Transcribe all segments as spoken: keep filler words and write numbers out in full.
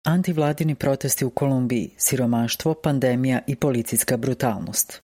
Antivladini protesti u Kolumbiji, siromaštvo, pandemija i policijska brutalnost.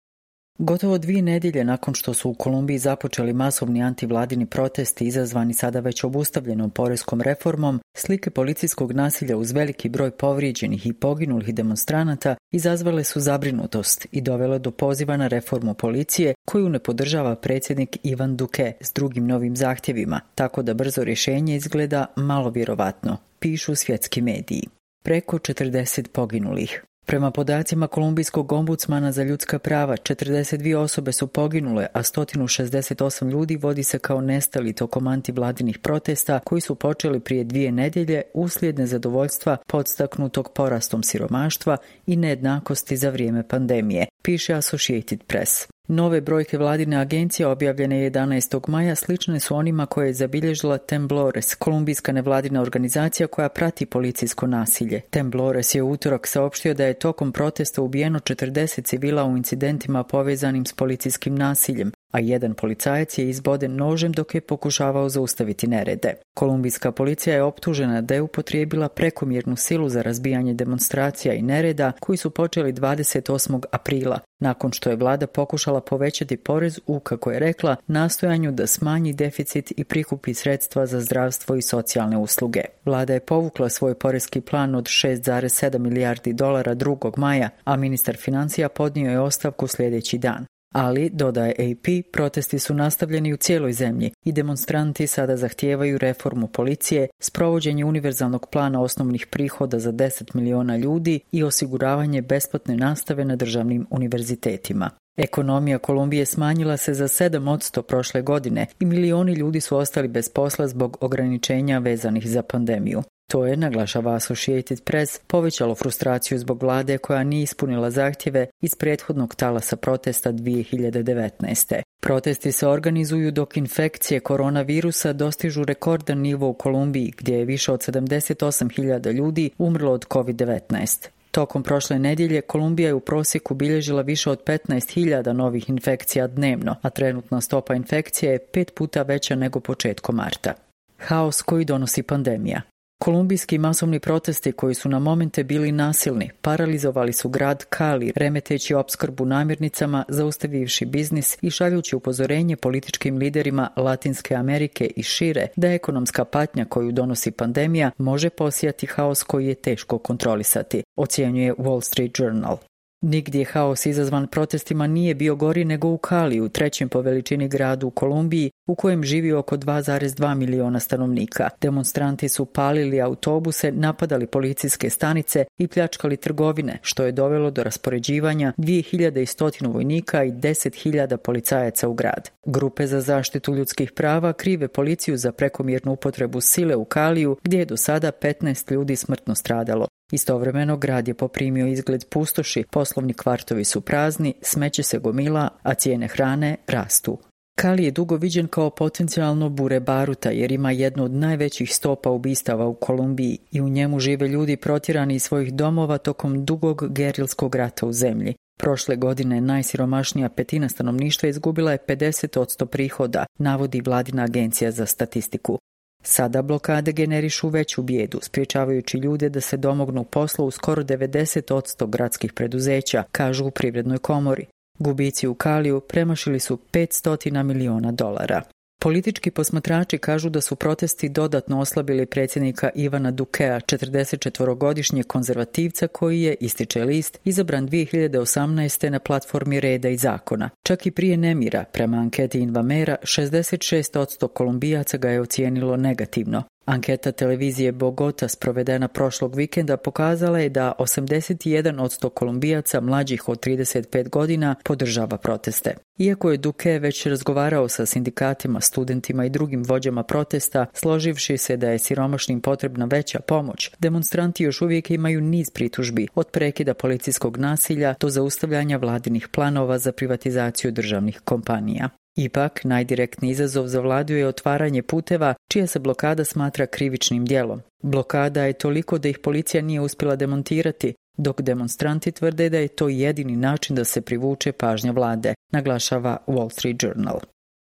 Gotovo dvije nedjelje nakon što su u Kolumbiji započeli masovni antivladini protesti izazvani sada već obustavljenom poreskom reformom, slike policijskog nasilja uz veliki broj povrijeđenih i poginulih demonstranata izazvale su zabrinutost i dovele do poziva na reformu policije koju ne podržava predsjednik Ivan Duque s drugim novim zahtjevima, tako da brzo rješenje izgleda malo vjerovatno, pišu svjetski mediji. Preko četrdeset poginulih. Prema podacima kolumbijskog ombudsmana za ljudska prava, četrdeset dvije osobe su poginule, a sto šezdeset osam ljudi vodi se kao nestali tokom antivladinih protesta koji su počeli prije dvije nedjelje uslijed nezadovoljstva podstaknutog porastom siromaštva i nejednakosti za vrijeme pandemije, piše Associated Press. Nove brojke vladine agencije objavljene jedanaestog maja slične su onima koje je zabilježila Temblores, kolumbijska nevladina organizacija koja prati policijsko nasilje. Temblores je u utorak saopštio da je tokom protesta ubijeno četrdeset civila u incidentima povezanim s policijskim nasiljem, a jedan policajac je izboden nožem dok je pokušavao zaustaviti nerede. Kolumbijska policija je optužena da je upotrijebila prekomjernu silu za razbijanje demonstracija i nereda koji su počeli dvadeset osmog aprila, nakon što je vlada pokušala povećati porez u, kako je rekla, nastojanju da smanji deficit i prikupi sredstva za zdravstvo i socijalne usluge. Vlada je povukla svoj porezki plan od šest zarez sedam milijardi dolara drugog maja, a ministar financija podnio je ostavku sljedeći dan. Ali, dodaje A P, protesti su nastavljeni u cijeloj zemlji i demonstranti sada zahtijevaju reformu policije, sprovođenje univerzalnog plana osnovnih prihoda za deset miliona ljudi i osiguravanje besplatne nastave na državnim univerzitetima. Ekonomija Kolumbije smanjila se za sedam posto prošle godine i milioni ljudi su ostali bez posla zbog ograničenja vezanih za pandemiju. To je, naglašava Associated Press, povećalo frustraciju zbog vlade koja nije ispunila zahtjeve iz prethodnog talasa protesta dvije hiljade devetnaeste. Protesti se organizuju dok infekcije koronavirusa dostižu rekordan nivo u Kolumbiji, gdje je više od sedamdeset osam hiljada ljudi umrlo od kovid devetnaest. Tokom prošle nedjelje Kolumbija je u prosjeku bilježila više od petnaest hiljada novih infekcija dnevno, a trenutna stopa infekcije je pet puta veća nego početkom marta. Haos koji donosi pandemija. Kolumbijski masovni protesti koji su na momente bili nasilni, paralizovali su grad Cali, remeteći opskrbu namirnicama, zaustavivši biznis i šaljući upozorenje političkim liderima Latinske Amerike i šire da ekonomska patnja koju donosi pandemija može posijati haos koji je teško kontrolisati, ocjenjuje Wall Street Journal. Nigdje haos izazvan protestima nije bio gori nego u Caliju, trećem po veličini gradu u Kolumbiji, u kojem živi oko dva zarez dva miliona stanovnika. Demonstranti su palili autobuse, napadali policijske stanice i pljačkali trgovine, što je dovelo do raspoređivanja dvije hiljade sto vojnika i deset hiljada policajaca u grad. Grupe za zaštitu ljudskih prava krive policiju za prekomjernu upotrebu sile u Caliju, gdje je do sada petnaest ljudi smrtno stradalo. Istovremeno grad je poprimio izgled pustoši, poslovni kvartovi su prazni, smeće se gomila, a cijene hrane rastu. Cali je dugo viđen kao potencijalno bure baruta jer ima jednu od najvećih stopa ubistava u Kolumbiji i u njemu žive ljudi protjerani iz svojih domova tokom dugog gerilskog rata u zemlji. Prošle godine najsiromašnija petina stanovništva izgubila je pedeset posto prihoda, navodi vladina agencija za statistiku. Sada blokade generišu veću bijedu, spriječavajući ljude da se domognu posla u skoro devedeset posto gradskih preduzeća, kažu u Privrednoj komori. Gubici u Caliju premašili su petsto miliona dolara. Politički posmatrači kažu da su protesti dodatno oslabili predsjednika Ivana Duquea, četrdesetčetvorogodišnjeg konzervativca koji je, ističe list, izabran dvije hiljade osamnaeste na platformi Reda i zakona. Čak i prije nemira, prema anketi Invamera, šezdeset šest posto Kolumbijaca ga je ocijenilo negativno. Anketa televizije Bogota sprovedena prošlog vikenda pokazala je da osamdeset jedan posto Kolumbijaca mlađih od trideset pet godina podržava proteste. Iako je Duque već razgovarao sa sindikatima, studentima i drugim vođama protesta, složivši se da je siromašnim potrebna veća pomoć, demonstranti još uvijek imaju niz pritužbi, od prekida policijskog nasilja do zaustavljanja vladinih planova za privatizaciju državnih kompanija. Ipak, najdirektniji izazov za vladu je otvaranje puteva čija se blokada smatra krivičnim djelom. Blokada je toliko da ih policija nije uspjela demontirati, dok demonstranti tvrde da je to jedini način da se privuče pažnja vlade, naglašava Wall Street Journal.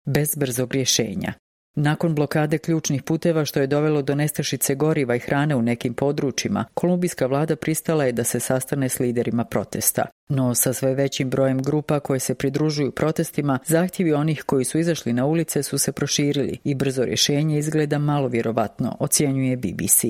Bez brzog rješenja. Nakon blokade ključnih puteva što je dovelo do nestašice goriva i hrane u nekim područjima, kolumbijska vlada pristala je da se sastane s liderima protesta. No sa sve većim brojem grupa koje se pridružuju protestima, zahtjevi onih koji su izašli na ulice su se proširili i brzo rješenje izgleda malo vjerovatno, ocjenjuje B B C.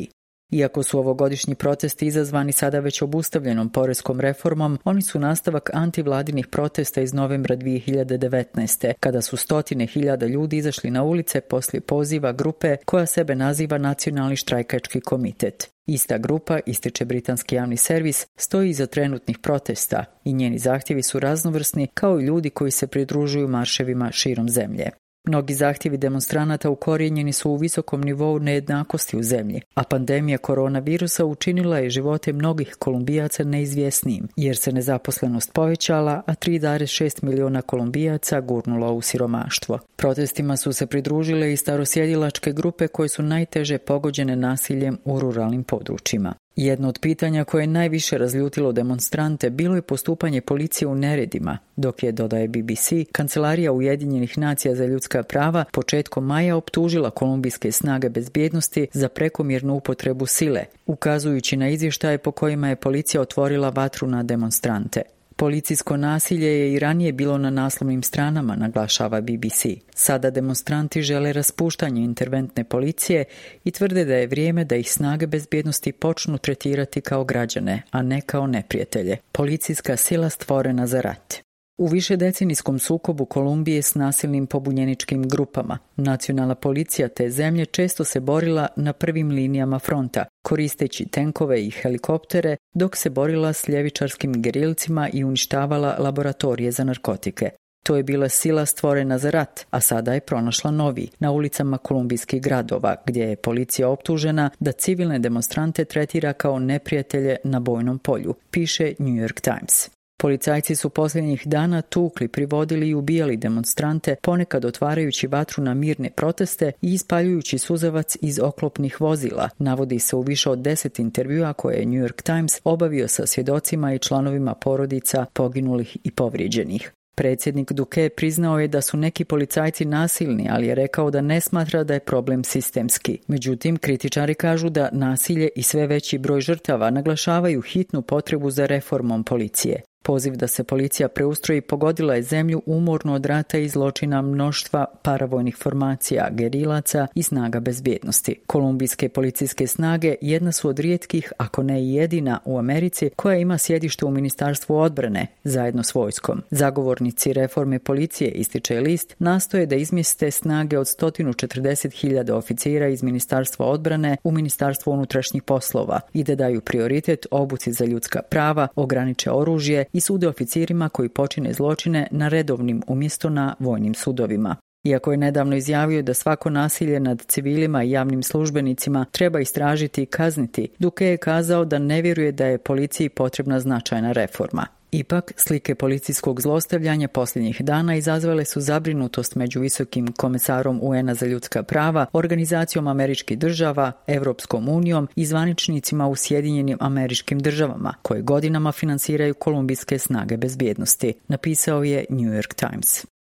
Iako su ovogodišnji protesti izazvani sada već obustavljenom poreskom reformom, oni su nastavak antivladinih protesta iz novembra dvije hiljade devetnaeste. kada su stotine hiljada ljudi izašli na ulice poslije poziva grupe koja sebe naziva Nacionalni štrajkački komitet. Ista grupa, ističe britanski javni servis, stoji iza trenutnih protesta i njeni zahtjevi su raznovrsni kao i ljudi koji se pridružuju marševima širom zemlje. Mnogi zahtjevi demonstranata ukorijenjeni su u visokom nivou nejednakosti u zemlji, a pandemija koronavirusa učinila je živote mnogih Kolumbijaca neizvjesnijim, jer se nezaposlenost povećala, a tri zarez šest milijuna Kolumbijaca gurnulo u siromaštvo. Protestima su se pridružile i starosjedilačke grupe koje su najteže pogođene nasiljem u ruralnim područjima. Jedno od pitanja koje je najviše razljutilo demonstrante bilo je postupanje policije u neredima, dok je, dodaje B B C, Kancelarija Ujedinjenih nacija za ljudska prava početkom maja optužila kolumbijske snage bezbjednosti za prekomjernu upotrebu sile, ukazujući na izvještaje po kojima je policija otvorila vatru na demonstrante. Policijsko nasilje je i ranije bilo na naslovnim stranama, naglašava B B C. Sada demonstranti žele raspuštanje interventne policije i tvrde da je vrijeme da ih snage bezbjednosti počnu tretirati kao građane, a ne kao neprijatelje. Policijska sila stvorena za rat. U višedecenijskom sukobu Kolumbije s nasilnim pobunjeničkim grupama, nacionalna policija te zemlje često se borila na prvim linijama fronta, koristeći tenkove i helikoptere, dok se borila s ljevičarskim gerilcima i uništavala laboratorije za narkotike. To je bila sila stvorena za rat, a sada je pronašla novi, na ulicama kolumbijskih gradova, gdje je policija optužena da civilne demonstrante tretira kao neprijatelje na bojnom polju, piše New York Times. Policajci su posljednjih dana tukli, privodili i ubijali demonstrante, ponekad otvarajući vatru na mirne proteste i ispaljujući suzavac iz oklopnih vozila, navodi se u više od deset intervjua koje je New York Times obavio sa svjedocima i članovima porodica poginulih i povrijeđenih. Predsjednik Duque priznao je da su neki policajci nasilni, ali je rekao da ne smatra da je problem sistemski. Međutim, kritičari kažu da nasilje i sve veći broj žrtava naglašavaju hitnu potrebu za reformom policije. Poziv da se policija preustroji pogodila je zemlju umorno od rata i zločina mnoštva paravojnih formacija, gerilaca i snaga bezbjednosti. Kolumbijske policijske snage jedna su od rijetkih, ako ne i jedina u Americi, koja ima sjedište u Ministarstvu odbrane, zajedno s vojskom. Zagovornici reforme policije, ističe list, nastoje da izmjeste snage od sto četrdeset hiljada oficira iz Ministarstva odbrane u Ministarstvo unutrašnjih poslova i da daju prioritet obuci za ljudska prava, ograniče oružje i sude oficirima koji počine zločine na redovnim umjesto na vojnim sudovima. Iako je nedavno izjavio da svako nasilje nad civilima i javnim službenicima treba istražiti i kazniti, Duque je kazao da ne vjeruje da je policiji potrebna značajna reforma. Ipak, slike policijskog zlostavljanja posljednjih dana izazvale su zabrinutost među visokim komesarom U N-a za ljudska prava, Organizacijom američkih država, Europskom unijom i zvaničnicima u Sjedinjenim Američkim Državama, koje godinama finansiraju kolumbijske snage bezbjednosti, napisao je New York Times.